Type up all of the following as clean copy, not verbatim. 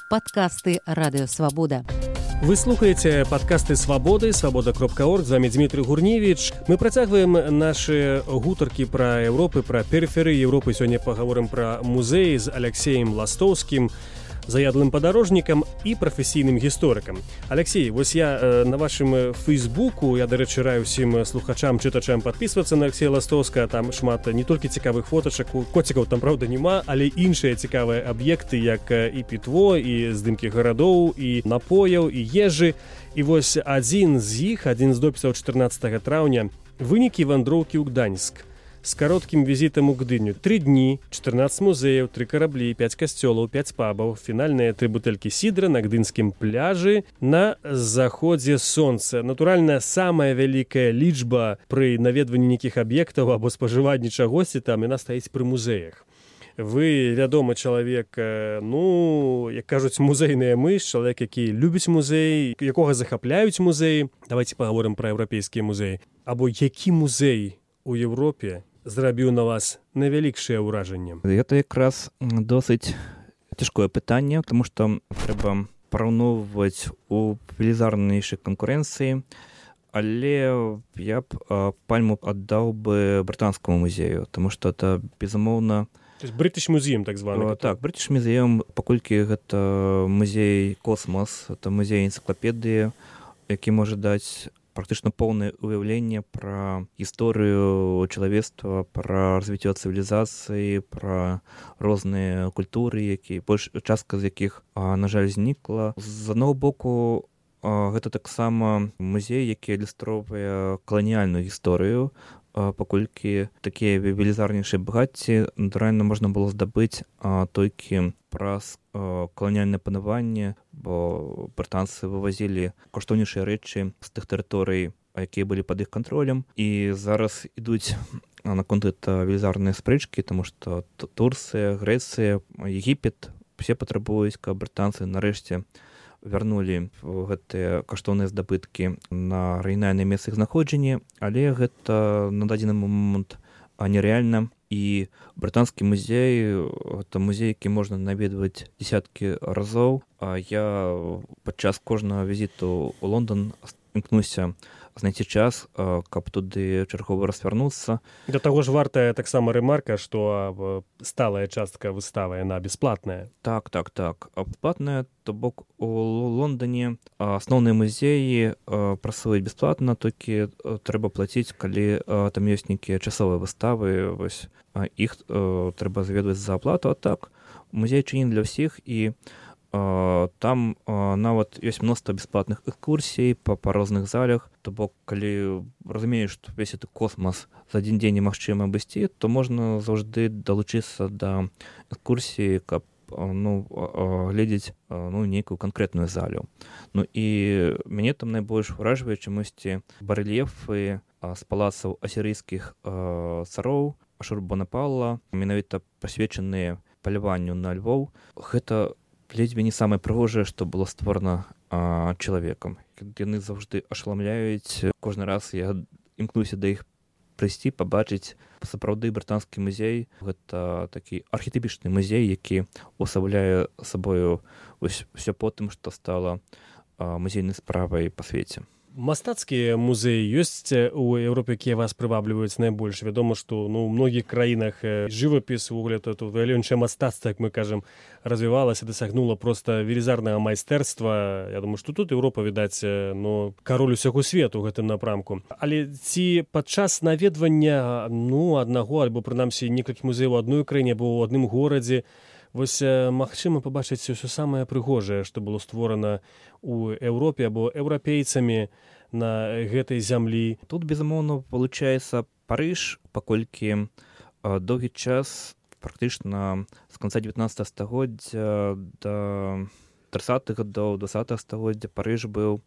подкасты Радио Свобода. Вы слухаеце падкасты свабоды свабода.орг, з вами Дмітрый Гурневіч. Мы працягваем нашы гутаркі пра Еўропы, пра перыферыі Еўропы. Сёння паговорым пра музеі з Алексеем Ластоўскім, заядлым падарожнікам і прафесійным гісторыкам. Алексей, вось я на вашым фейсбуку, я, дарэчы, раю ўсім слухачам, чытачам падпісвацца на Алексея Ластоўска, там шмат не толькі цікавых фотачак, коцікаў там, праўда, няма, але іншыя цікавыя аб'екты, як і пітво, і здымкі гарадоў, і напояў, і ежы. І вось адзін з допісаў 14 траўня вынікі вандроўкі ў Гданьск. З кароткім візітам у Гдыню. 3 дні, 14 музеяў, 3 караблі, 5 касцёлаў, 5 пабаў, фінальныя 3 бутэлькі сідра на гдынскім пляжы на заходзе сонца. Натуральна, самая вялікая лічба пры наведванні нейкіх аб'ектаў або спажыванні чагосьці там, яна стаіць пры музеях. Вы, вядомы чалавек, як кажуць, музейная мыш, чалавек, які любіць музей, якога захапляюць музеі. Давайте паговорым пра еўрапейскія музеі. Або які музей у Еўропе зрабіў на вас найвялікшае ўражанне? Гэта якраз досыць цяжкое пытанне, тому што трэба параўноўваць у велізарнейшай канкурэнцыі, але я б пальму аддаў бы брытанскаму музею, тому што это, безумоўна... То есть British Museum, так званы? Так, British Museum, паколькі гэта музей космос, это музей энцыклапедыі, які можа даць практычна поўнае ўяўленне пра гісторыю чалавецтва, пра развіццё цывілізацыі, пра розныя культуры, частка з якіх, на жаль, знікла. З аднаго боку, гэта таксама музей, які ілюстроўвае каланіяльную гісторыю, паколькі такія велізарнейшыя багацці, натуральна, можна было здабыць толькі праз каланіяльнае панаванне, бо брытанцы вывазілі каштоўнейшыя рэчы з тых тэрыторый, якія былі пад іх кантролем. І зараз ідуць наконт гэта велізарныя спрэчкі, таму што Турцыя, Грэцыя, Егіпет усе патрабуюць, каб брытанцы нарэшце вярнулі гэтыя каштоўныя здабыткі на арыгінальнае месца іх знаходжання, але гэта на дадзены момант нерэальна. І брытанскі музей — гэта музей, які можна наведваць дзесяткі разоў. Я падчас кожнага візіту ў Лондан імкнуся знайсці час, каб туды чаргова развярнуцца. Да таго ж вартая таксама рэмарка, што сталая частка выставы, яна бясплатная. Так. Бясплатная, то бок у Лондане асноўныя музеі працуюць бясплатна, толькі трэба плаціць, калі там ёсць нейкія часовыя выставы, вось іх трэба заведваць за аплату. А так, музей чынен для ўсіх, і там нават ёсць мноства бясплатных экскурсій па розных залях. То бок, калі разумееш, што весь гэты космас за адзін дзень немагчыма абысці, то можна заўжды далучыцца да экскурсіі, каб глядзець нейкую канкрэтную залю. І мяне там найбольш уражвае чамусьці барэльефы з палацаў асірыйскіх цароў Ашурбанапала, менавіта прысвечаныя паляванню на львоў. Гэта ледзьве не самае прыгожае, што было створана чалавекам. Яны заўжды ашаламляюць. Кожны раз я імкнуся да іх прыйсці, пабачыць. Сапраўды брытанскі музей — гэта такі архетыпічны музей, які ўвасабляе сабою ўсё потым, што стала музейнай справай па свеце. Мастацкія музеі ёсць у Еўропе, якія вас прывабліваюць найбольш? Вядома, што ў многіх краінах жывапіс, увогуле, валенчае мастацтва, як мы кажам, развівалася, дасягнула проста велізарнага майстэрства. Я думаю, што тут Еўропа, відаць, кароль усяго свету ў гэтым напрамку. Але ці падчас наведвання аднаго, альбо прынамсі некалькіх музеяў у адной краіне або ў адным горадзе, вось магчыма пабачыць ўсё самае прыгожае, што было створана ў Еўропе або еўрапейцамі на гэтай зямлі? Тут, безумоўна, получаецца Парыж, паколькі доўгі час, практычна з канца 19 стагоддзя да 30-х гадоў 20-го стагоддзя, Парыж быў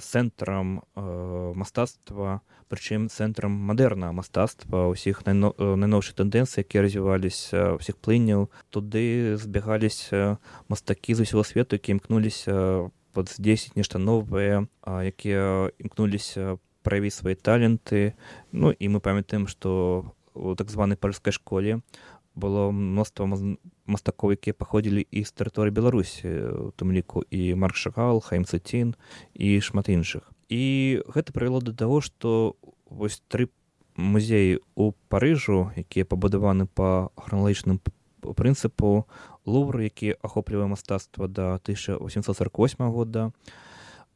цэнтрам мастацтва, прычым цэнтрам мадэрнага мастацтва, ўсіх найноўшых тэндэнцый, якія развіваліся, ўсіх плыняў. Туды збягаліся мастакі з усяго свету, якія імкнуліся здзейсніць нешта новае, якія імкнуліся праявіць свае таленты. І мы памятаем, што у так званай парыжскай школе было мноства мастакоў, якія паходзілі і з тэрыторыі Беларусі, у тым ліку і Марк Шагал, Хаім Цэцін і шмат іншых. І гэта прывяло да таго, што вось 3 музеі ў Парыжу, якія пабудаваны па храналагічным прынцыпу, Лувр, які ахоплівае мастацтва да 1848 года,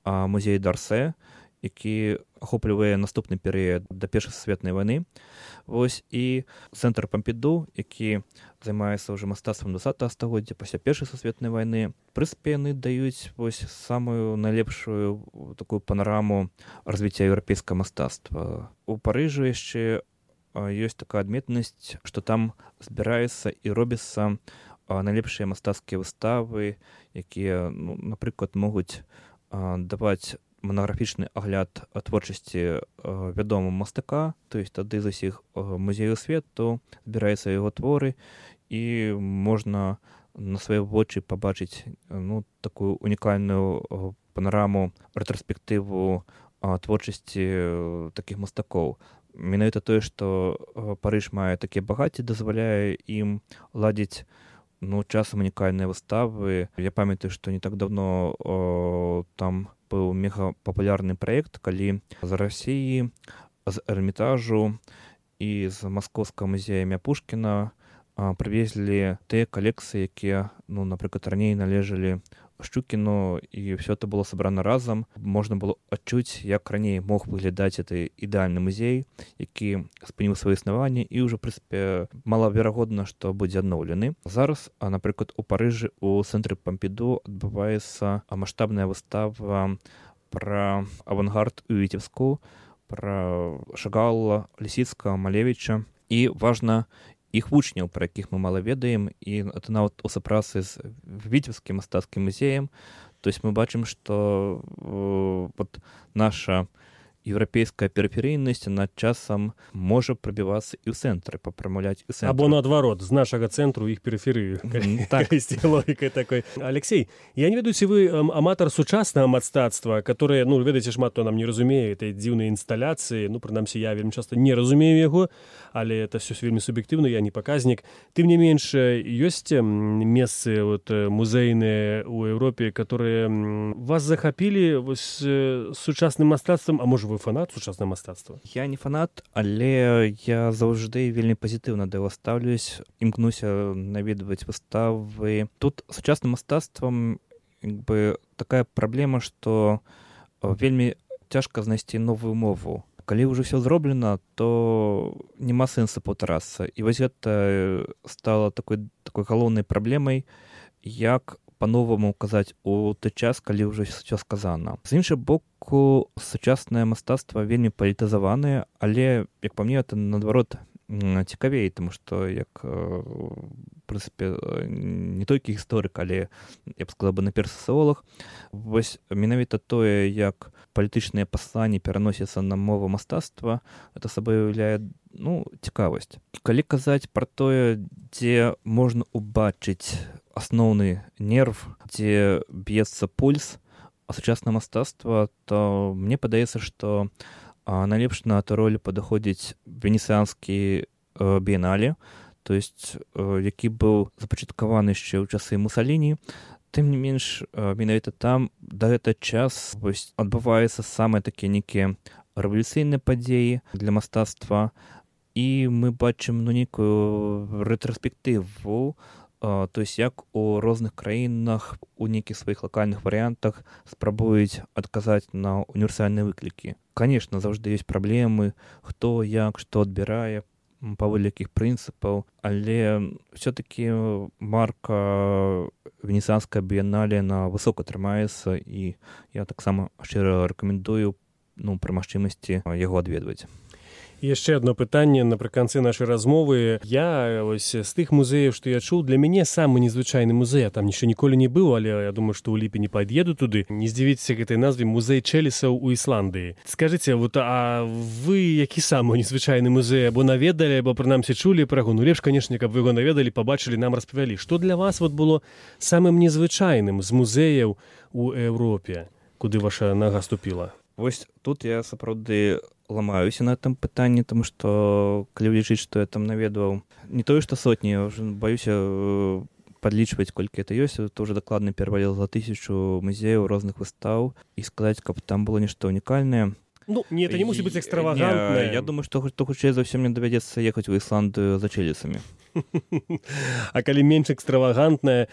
музей Дарсэ, які ахоплівае наступны перыяд да Першай сусветнай вайны. Вось і цэнтр Пампіду, які займаецца ўжо мастацтвам 20 стагоддзя пасля Першай сусветнай вайны. Прынцыпе, яны даюць вось самую найлепшую такую панараму развіцця еўрапейскага мастацтва. У Парыжы яшчэ ёсць такая адметнасць, што там збіраецца і робіцца найлепшыя мастацкія выставы, якія, напрыклад, могуць даваць монографічны агляд творчасці вядомага мастака, то есть тады з усіх музеяў свету збіраюцца яго творы, і можна на свае вочы пабачыць такую унікальную панараму, рэтраспектыву творчасці такіх мастакоў. Менавіта тое, што Парыж мае такія багацці, дазваляе ім ладзіць часам унікальныя выставы. Я памятаю, што не так давно там быў мегапапулярны праект, калі з Расіі, з Эрмітажу і з Маскоўскага музея імя Пушкіна прывезлі тыя калекцыі, якія, напрыклад, раней належалі Шчукіну, і ўсё это было сабрана разам. Можна было адчуць, як раней мог выглядаць гэты ідэальны музей, які спыніў сваё існаванне, і ўжо, прынцыпе, малаверагодна, што будзе адноўлены. Зараз, напрыклад, у Парыжы у цэнтры Пампіду адбываецца маштабная выстава пра авангард у Віцебску, пра Шагала, Лісіцкага, Малевіча, і важна іх вучняў, пра якіх мы мала ведаем, і это нават у супрацы з Віцебскім мастацкім музеем. То есть мы бачым, што наша еўрапейская перыферыйнасць над часам можа прабівацца і ў цэнтры, папрамаўляць і цэнтры. Або наадварот, з нашага цэнтру іх перыферыю. Так, ісці логікай такой. Алексей, я не ведаю, ці вы аматар сучаснага мастацтва, которое, ведаеце, шмат хто нам не разумее этой дзіўнай інсталяцыі, прынамсі, я вельмі часта не разумею яго, але это все вельмі суб'ектыўна, я не паказнік. Тым не менш, ёсць месцы музейныя ў Еўропе, которые вас захапілі сучасным мастацтвам, а можа, вы фанат сучаснага мастацтва? Я не фанат, але я заўжды вельмі пазітыўна да яго стаўлюсь, імкнуся наведваць выставы. Тут сучасным мастацтвам такая праблема, што вельмі цяжка знайсці новую мову. Калі ўжо ўсё зроблена, то няма сэнсу паўтарацца. І вось гэта стала такой галоўнай праблемай, як па-новаму казаць у той час, калі ўжо ўсё сказана. З іншага боку, сучаснае мастацтва вельмі палітызаванае, але, як па мне, это, наадварот, цікавей, тому што, як, в прынцыпе, не толькі гісторык, але, я б сказала, наперш сацыолог, вось менавіта тое, як палітычныя пасланні пераносяцца на мову мастацтва, это сабой уяўляе цікавасць. Калі казаць пра тое, дзе можна убачыць асноўны нерв, дзе б'ецца пульс сучаснага мастацтва, то мне падаецца, што найлепш на эту роль падыходзіць венецыянскі біенале, то есть які быў запачаткаваны яшчэ ў часы Мусаліні. Тым не менш, менавіта там да гэты час адбываюцца самыя такія нейкія рэвалюцыйныя падзеі для мастацтва, і мы бачым нейкую рэтраспектыву, то есть як у розных краінах у нейкіх сваіх лакальных варыянтах спрабуюць адказаць на універсальныя выклікі. Конечно, заўжды ёсць праблемы, хто, як, што адбірае, паводле якіх прынцыпаў, але все-таки марка венецыянская біенале на высока трымаецца, і я таксама шчыра рэкамендую пры магчымасці яго адведваць. Яшчэ одно пытанне напрыканцы нашай размовы. Я з тых музеяў, што я чуў, для мяне самы незвычайны музей, я там яшчэ ніколі не быў, але я думаю, што ў ліпені пад'еду туды. Не здзівіцеся гэтай назве музей Чэлісаў у Ісландыі. Скажыце, а вы які самы незвычайны музей або наведалі, або прынамсі чулі пра яго? Лепш, канешне, каб вы яго наведалі, пабачылі, нам распавялі. Што для вас было самым незвычайным з музеяў у Еўропе, куды ваша нага ступіла? Вось тут я сапраўды ламаюся на гэтым пытанні, тому што калі лічыць, што я там наведваў не тое, што сотні, я ўжо баюся падлічваць, колькі это ёсць, то ўжо дакладна пераваліла за 1000 музеяў розных выстаў, і сказаць, каб там было нешта унікальнае. Ну, не, это не мусіць быць экстравагантнае. Я думаю, што хутчэй за ўсё мне давядзецца ехаць у Ісландыю за чэлісамі. А калі менш экстравагантнае,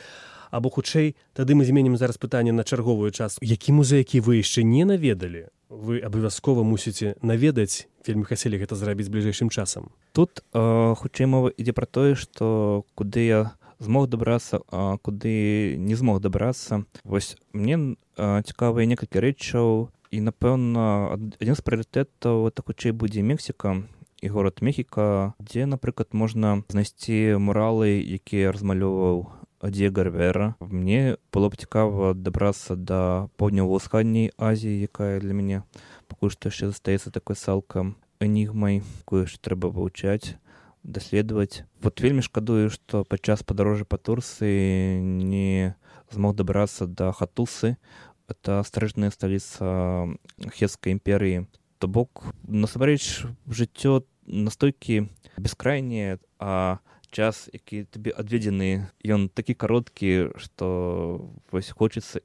або хутчэй, тады мы зменім зараз пытанне на чарговую частку. Які музей, які вы яшчэ не наведалі, вы абавязкова мусіце наведаць, вельмі хацелі гэта зрабіць бліжэйшым часам? Тут хутчэй мова ідзе пра тое, што куды я змог дабрацца, а куды не змог дабрацца. Вось мне цікавыя некалькі рэчаў, і, напэўна, адзін з прыярытэтаў это хутчэй будзе Мексіка і горад Мехіка, дзе, напрыклад, можна знайсці муралы, якія размалёваў Диего Ривера. Мне было б цікава дабрацца да паўднёва-ўсходняй Азіі, якая для мяне пакуль што яшчэ застаецца такой цалкам энігмай, якую яшчэ трэба вывучаць, даследаваць. Вот вельмі шкадую, што падчас падарожжа па Турцыі не змог дабрацца да Хатусы. Это старажытная сталіца Хетскай імперыі. То бок, насамрэч, жыццё настолькі бескрайняе, а час, які табе адведзены, ён такі кароткі, што вось хочацца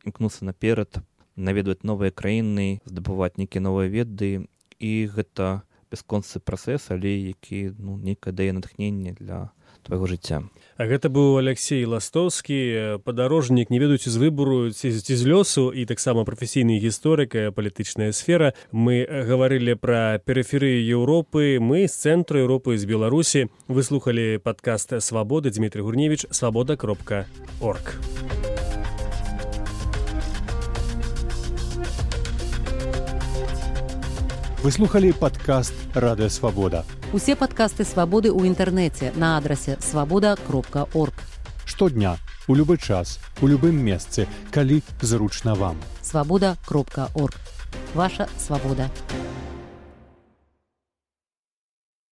імкнуцца наперад, наведваць новыя краіны, здабываць нейкія новыя веды, і гэта бясконцы працэс, але які нейкае дае натхненне для твайго жыцця. А гэта быў Алексей Ластоўскі, падарожнік, не ведаючы з выбору ці з лёсу, і таксама прафесійны гісторык, палітычная сфера. Мы гаварылі пра перыферыю Еўропы, мы з цэнтру Еўропы, з Беларусі. Вы слухалі падкаст «Свабоды», Дмітрый Гурневіч, свабода.орг. Вы слухалі падкаст «Радыё Свабода». Усе падкасты «Свабоды» ў інтэрнэце на адрасе свабода.орг. Штодня, у любы час, у любым месцы, калі зручна вам. Свабода.орг. Ваша свабода.